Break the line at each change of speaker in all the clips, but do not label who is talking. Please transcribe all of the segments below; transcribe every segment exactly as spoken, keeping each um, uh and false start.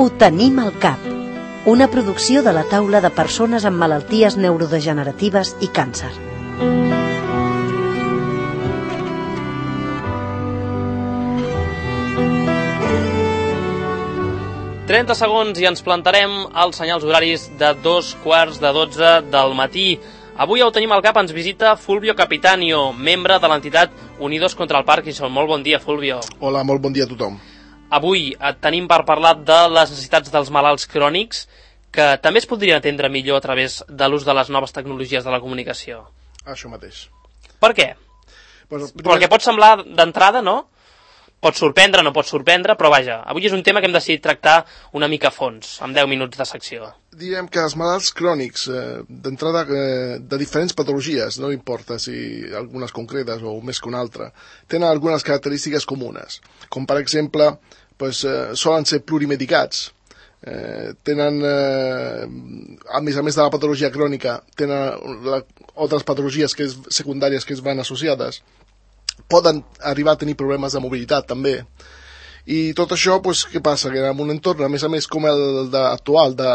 Ho tenim al cap. Una producció de la taula de persones amb malalties neurodegeneratives i càncer.
trenta segons i ens plantarem als senyals horaris de dos quarts de dotze del matí. Avui ho tenim al cap, ens visita Fulvio Capitanio, membre de l'entitat Unidos contra el Parkinson. Molt bon dia, Fulvio.
Hola, molt bon dia a tothom.
Avui et tenim per parlar de les necessitats dels malalts crònics, que també es podrien atendre millor a través de l'ús de les noves tecnologies de la comunicació.
Això mateix.
Per què?
Bueno, primer...
Perquè pot semblar d'entrada, no? Pot sorprendre, no pot sorprendre, però vaja, avui és un tema que hem decidit tractar una mica a fons, amb deu minuts de secció.
Direm que els malalts crònics, eh, d'entrada eh, de diferents patologies, no importa si algunes concretes o més que una altra, tenen algunes característiques comunes, com per exemple, pues, eh, solen ser plurimedicats, eh, tenen, eh, a més a més de la patologia crònica, tenen la, altres patologies que és, secundàries que es van associades, poden arribar a tenir problemes de mobilitat també, i tot això, pues, què passa? Que en un entorn, a més a més, com el de, actual, de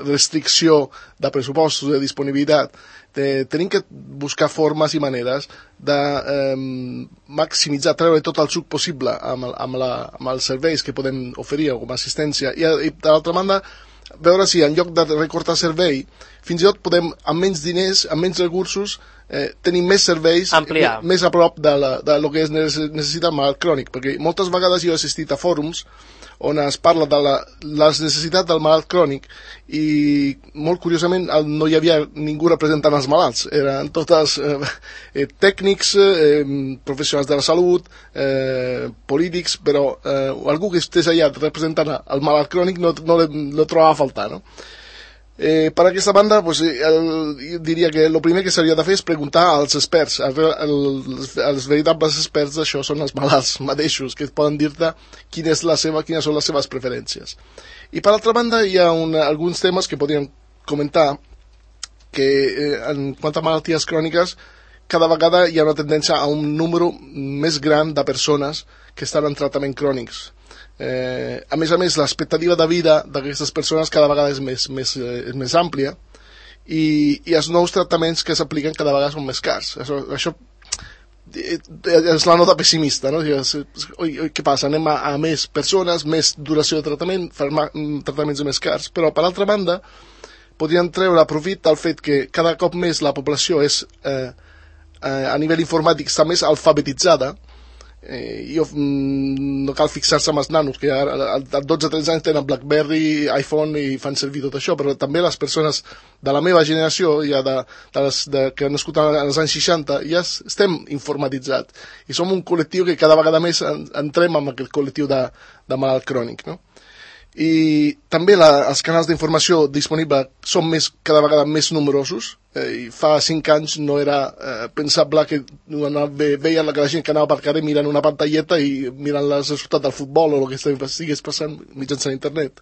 restricció de pressupostos, de disponibilitat, de, tenim que buscar formes i maneres de eh, maximitzar, treure tot el suc possible amb, amb, la, amb els serveis que podem oferir com a assistència, i, i d'altra banda, veure si en lloc de recortar servei, fins i tot podem, amb menys diners, amb menys recursos, eh, tenir més serveis,
ampliar,
més a prop de, la, de lo que es necessita el malalt crònic, perquè moltes vegades jo he assistit a fòrums on es parla de la, les necessitats del malalt crònic i molt curiosament no hi havia ningú representant els malalts, eren totes eh, eh, tècnics, eh, professionals de la salut, eh, polítics, però eh, algú que estés allà representant el malalt crònic no, no lo trobava a faltar, no? Eh, per aquesta banda, pues, el, jo diria que el primer que s'hauria de fer és preguntar als experts. El, el, els veritables experts d'això són els malalts mateixos, que poden dir-te quina és la seva, quines són les seves preferències. I per altra banda hi ha un, alguns temes que podríem comentar, que eh, en quant a malalties cròniques, cada vegada hi ha una tendència a un número més gran de persones que estan en tractament crònics. Eh, a més a més, l'expectativa de vida d'aquestes persones cada vegada és més, més, eh, és més àmplia i, i els nous tractaments que s'apliquen cada vegada són més cars. Això, això és la nota pessimista, no? Oi, oi, què passa? Anem a, a més persones, més duració de tractament, farma, tractaments més cars, però per altra banda podríem treure profit del fet que cada cop més la població és, eh, eh, a nivell informàtic està més alfabetitzada. Eh, jo, mm, no cal fixar-se amb els nanos que ara, a dotze tretze anys tenen BlackBerry, iPhone i fan servir tot això, però també les persones de la meva generació, ja de, de les, de, que han nascut als anys seixanta, ja estem informatitzats i som un col·lectiu que cada vegada més entrem en aquest col·lectiu de, de malalt crònic, no? I també la, els canals d'informació disponibles són més, cada vegada més numerosos. Eh, fa cinc anys no era eh, pensable que veien la, que la gent que anava per carrer mirant una pantalleta i mirant els resultats del futbol o el que estigués passant mitjançant internet.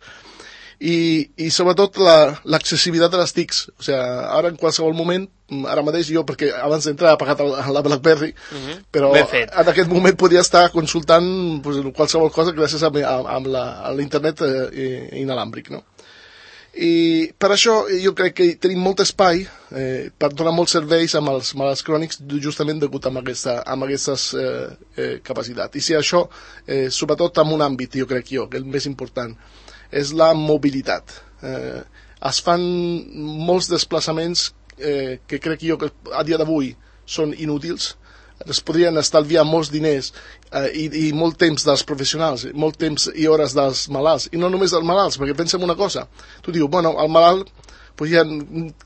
I, i sobretot l'accessibilitat la, de les T I Cs. O sigui, ara en qualsevol moment, ara mateix jo, perquè abans d'entrar he apagat la BlackBerry, uh-huh. però en aquest moment podia estar consultant pues, qualsevol cosa gràcies a, a, a l'internet eh, inalàmbric, no? I per això jo crec que tenim molt espai eh, per donar molts serveis amb els malalts crònics justament degut amb, aquesta, amb aquestes eh, eh, capacitats. I si això, eh, sobretot en un àmbit, jo crec jo, que és el més important, és la mobilitat. Eh, es fan molts desplaçaments eh, que crec jo que a dia d'avui són inútils, es podrien estalviar molts diners eh, i, i molt temps dels professionals, molt temps i hores dels malalts, i no només dels malalts, perquè pensem una cosa, tu dius, bueno, el malalt, pues ja,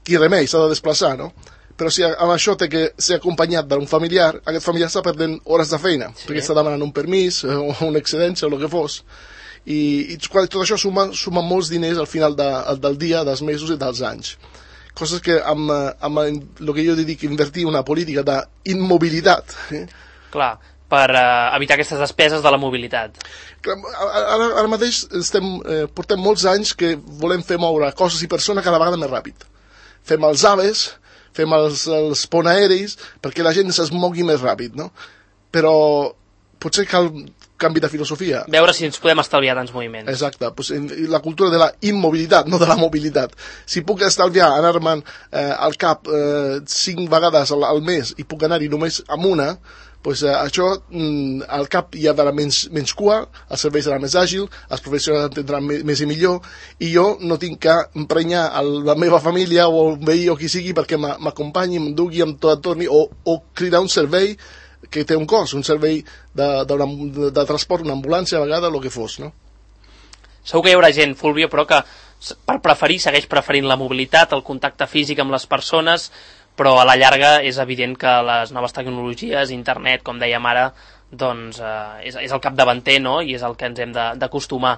qui remei, s'ha de desplaçar, no? Però si amb això té que ser acompanyat d'un familiar, aquest familiar està perdent hores de feina, sí. perquè està demanant un permís, o una excedència, o el que fos, i, i tot això suma, suma molts diners al final de, del dia, dels mesos i dels anys. Coses que amb, amb el que jo dic invertir una política d'immobilitat. Eh?
Clar, per uh, evitar aquestes despeses de la mobilitat.
Clar, ara, ara mateix estem, eh, portem molts anys que volem fer moure coses i persones cada vegada més ràpid. Fem els aves, fem els, els ponts aeris, perquè la gent es mogui més ràpid, no? Però potser cal canvi de filosofia.
Veure si ens podem estalviar tants moviments.
Exacte, pues, la cultura de la immobilitat, no de la mobilitat. Si puc estalviar anar-me'n eh, al cap eh, cinc vegades al, al mes i puc anar-hi només amb una, pues, eh, això mm, al cap hi haurà menys, menys cua, el servei serà més àgil, els professionals entendran més, més i millor, i jo no tinc que emprenyar el, la meva família o el veí o qui sigui perquè m'acompanyi, m'endugui, em torni, o, o cridar un servei que té un cost, un servei de, de, de, de transport, una ambulància a vegades, el que fos, no?
Segur que hi haurà gent, Fulvio, però que per preferir segueix preferint la mobilitat, el contacte físic amb les persones, però a la llarga és evident que les noves tecnologies, internet, com dèiem ara, doncs eh, és, és el capdavanter, no? I és el que ens hem d'acostumar.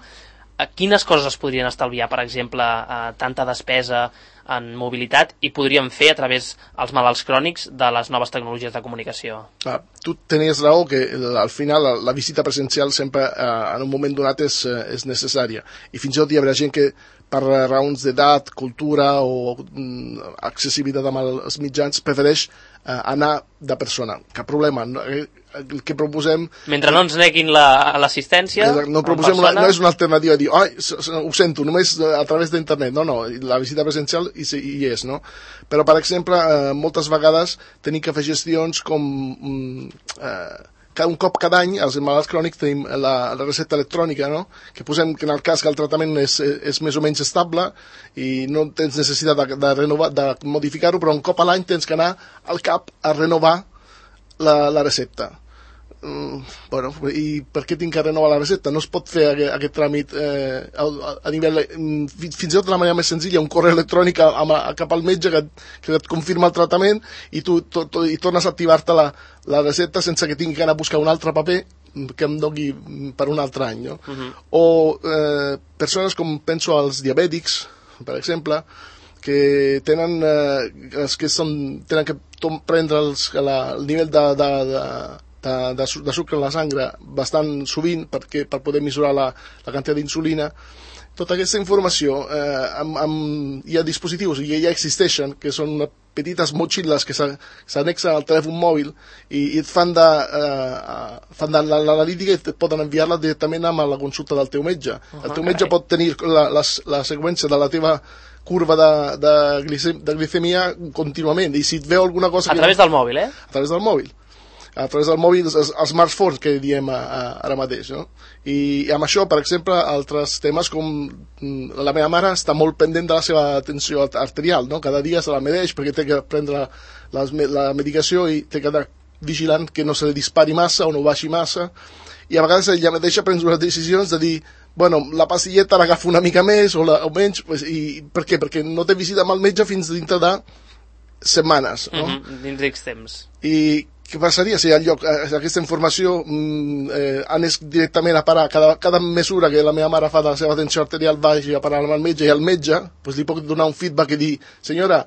Quines coses es podrien estalviar, per exemple, eh, tanta despesa en mobilitat i podríem fer a través dels malalts crònics de les noves tecnologies de comunicació?
Ah, tu tenies raó que al final la, la visita presencial sempre eh, en un moment donat és, eh, és necessària, i fins i tot hi haurà gent que per raons d'edat, cultura o mm, accessibilitat amb els mitjans prefereix eh, anar de persona. Cap problema. No, el que proposem...
Mentre no ens neguin l'assistència... La,
no, proposem una, no és una alternativa a dir, ai, ho sento, només a través d'internet. No, no, la visita presencial hi, hi és, no? Però, per exemple, eh, moltes vegades tenim que fer gestions com... Mm, eh, un cop cada any, els malalts crònics, tenim la, la recepta electrònica, no? Que posem que en el cas que el tractament és, és més o menys estable i no tens necessitat de, de, renovar, de modificar-ho, però un cop a l'any tens que anar al cap a renovar la, la recepta. Mm, bueno, i per què tinc que renovar la recepta? No es pot fer aquest, aquest tràmit eh, a, a nivell, fins i tot de la manera més senzilla, un correu electrònic a, a, cap al metge que, que et confirma el tractament i tu to, to, i tornes a activar-te la, la recepta sense que tingui que anar a buscar un altre paper que em doni per un altre any, no? Uh-huh. O eh, persones com penso als diabètics, per exemple, que tenen eh, els que són, tenen que prendre els, la, el nivell de, de, de De, de, de sucre en la sangre bastant sovint perquè, per poder mesurar la, la quantitat d'insulina. Tota aquesta informació eh, amb, amb, hi ha dispositius i ja existeixen, que són unes petites motxilles que s'annexen al telèfon mòbil i, i et fan de, eh, fan de l'analítica i et poden enviar-la directament amb la consulta del teu metge. Uh-huh, el teu metge carai. Pot tenir la, la, la seqüència de la teva curva de, de, glicem, de glicèmia contínuament, i si et veu alguna cosa...
A través
que...
del mòbil, eh?
A través del mòbil. A través del mòbil, els, els smartphones que diem a, a, ara mateix, no? I, I amb això, per exemple, altres temes com la meva mare està molt pendent de la seva tensió arterial, no? Cada dia se la medeix perquè té que prendre les, la medicació i té que anar vigilant que no se li dispari massa o no baixi massa, i a vegades ella mateixa prens unes decisions de dir, bueno, la pastilleta l'agafa una mica més o, la, o menys, pues, i per què? Perquè no té visita amb el metge fins dintre de setmanes, no?
Mm-hmm, dins d'X temps.
I què passaria si al lloc aquesta informació eh, anés directament a parar cada, cada mesura que la meva mare fa de la seva tensió arterial vagi a parar amb el metge, i el metge pues, li pot donar un feedback i dir, senyora,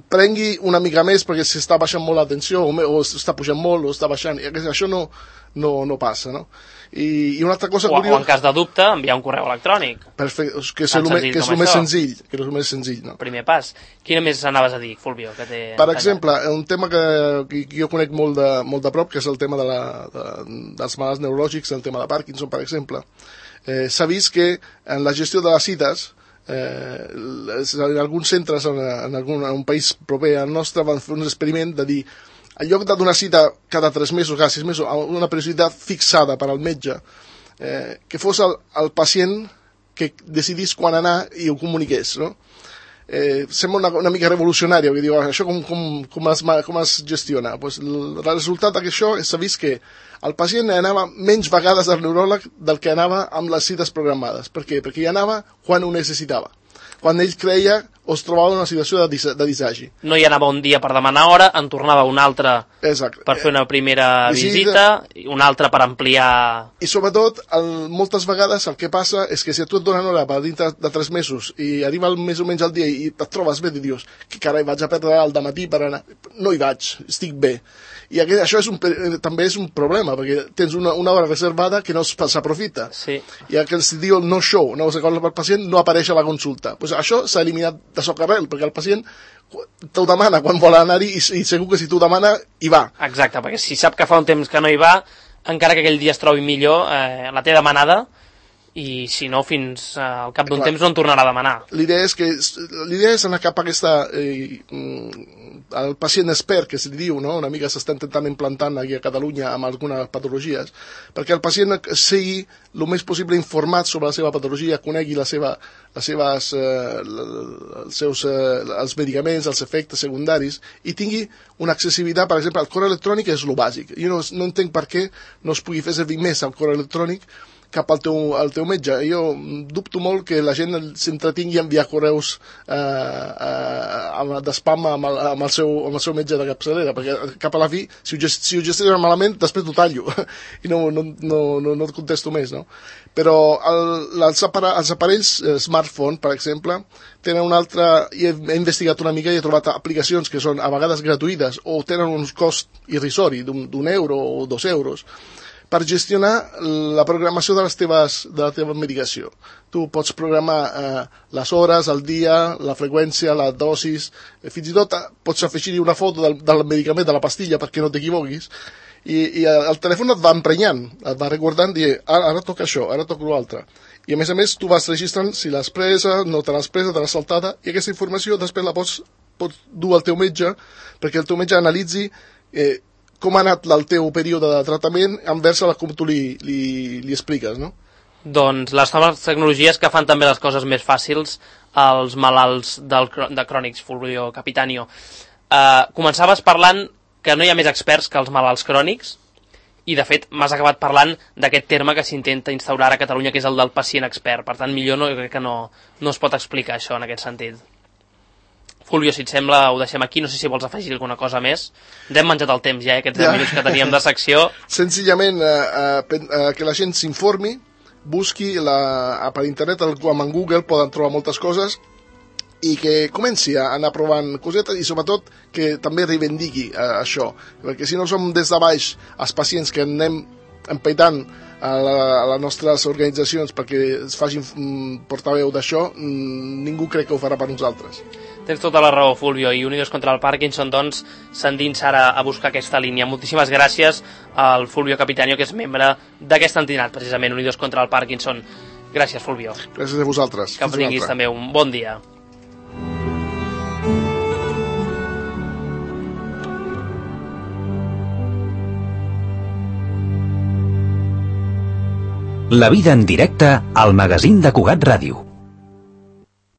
prengui una mica més perquè s'està baixant molt la tensió o, o està pujant molt o està baixant, i això no, no, no passa, no? I, i una altra cosa
o,
curiosa...
o en cas de dubte enviar un correu electrònic.
Perfecte, que és el més senzill, que és el més senzill, no?
Primer pas. Quina més anaves a dir, Fulvio? Que té
per exemple, un tema que, que jo conec molt de, molt de prop, que és el tema de la, de, dels malalts neurològics, el tema de Parkinson, per exemple. Eh, S'ha vist que en la gestió de les cites, eh, en alguns centres en, en, algun, en un país proper al nostre van fer un experiment de dir, en lloc de donar cita cada tres mesos, cada sis mesos, una periodicitat fixada per al metge, eh, que fos el, el pacient que decidís quan anar i ho comuniqués, no? Eh, sembla una, una mica revolucionari, perquè diu, això com, com, com, es, com es gestiona? Pues el resultat d'això s'ha vist que el pacient anava menys vegades al neuròleg del que anava amb les cites programades. Per què? Perquè hi anava quan ho necessitava, quan ell creia o es trobava en una situació de, dis de disagi.
No hi anava un dia per demanar hora, en tornava un altre
Exacte.
Per fer una primera visita, i una altra per ampliar...
I sobretot, el, moltes vegades el que passa és que si tu et donen hora per dintre de tres mesos i arriba el, més o menys el dia i et trobes bé i dius, que carai, vaig a perdre el dematí per anar... No hi vaig, estic bé. I aquest, això és un, també és un problema, perquè tens una, una hora reservada que no s'aprofita.
Sí.
I el que es diu el no-show, no s'acorda pel pacient, no apareix a la consulta. Pues això s'ha eliminat de socarrel, perquè el pacient t'ho demana quan vol anar-hi i, i segur que si t'ho demana hi va.
Exacte, perquè si sap que fa un temps que no hi va, encara que aquell dia es trobi millor, eh, la té demanada, i si no, fins al cap d'un temps no en tornarà a demanar.
L'idea és que l'idea és anar cap a aquesta eh, el pacient expert, que se li diu, no? Una mica s'està intentant implantant aquí a Catalunya amb algunes patologies, perquè el pacient sigui el més possible informat sobre la seva patologia, conegui la seva, les seves, eh, els seus eh, els medicaments, els efectes secundaris, i tingui una accessibilitat. Per exemple, el correu electrònic és el bàsic. Jo no, no entenc per què no es pugui fer servir més el correu electrònic cap al teu, al teu metge. Jo dubto molt que la gent s'entretingui a enviar correus eh, eh, d'espam amb, el, amb, el seu, amb el seu metge de capçalera, perquè cap a la fi, si ho, gest, si ho gestionen malament, després t'ho tallo i no, no, no, no, no et contesto més, no? Però el, els, apara, els aparells eh, smartphone, per exemple, tenen una altra... He, he investigat una mica i he trobat aplicacions que són a vegades gratuïtes o tenen un cost irrisori d'un euro o dos euros, per gestionar la programació de, les teves, de la teva medicació. Tu pots programar eh, les hores, el dia, la freqüència, la dosis, eh, fins i tot eh, pots afegir-hi una foto del, del medicament, de la pastilla, perquè no t'equivoquis, i, i el telèfon et va emprenyant, et va recordant, dient, ara, ara toca això, ara toca l'altre. I a més a més tu vas registrant si l'has presa, no te l'has presa, te l'has saltada, i aquesta informació després la pots, pots dur al teu metge, perquè el teu metge analitzi eh, com ha anat el teu període de tractament envers com tu li, li, li expliques, no?
Doncs les noves tecnologies que fan també les coses més fàcils als malalts del, de crònics, Fulvio Capitanio. Uh, començaves parlant que no hi ha més experts que els malalts crònics, i de fet m'has acabat parlant d'aquest terme que s'intenta instaurar a Catalunya, que és el del pacient expert. Per tant, millor no, jo crec que no, no es pot explicar això en aquest sentit. Fulvio, si et sembla, ho deixem aquí. No sé si vols afegir alguna cosa més. Ens hem menjat el temps ja, eh, aquests deu ja. minuts que teníem de secció.
Senzillament eh, eh, que la gent s'informi, busqui la, per internet, amb en Google poden trobar moltes coses, i que comenci a anar provant cosetes, i sobretot que també reivindiqui eh, això, perquè si no som des de baix els pacients que anem empaitant a, la, a les nostres organitzacions perquè es facin mm, portaveu d'això, mm, ningú crec que ho farà per nosaltres.
Tens tota la raó, Fulvio, i Unidos contra el Parkinson, doncs, s'endins ara a buscar aquesta línia. Moltíssimes gràcies al Fulvio Capitanio, que és membre d'aquesta entitat, precisament, Unidos contra el Parkinson. Gràcies, Fulvio.
Gràcies a vosaltres.
Que tinguis també un bon dia.
La vida en directe al magazín de Cugat Ràdio.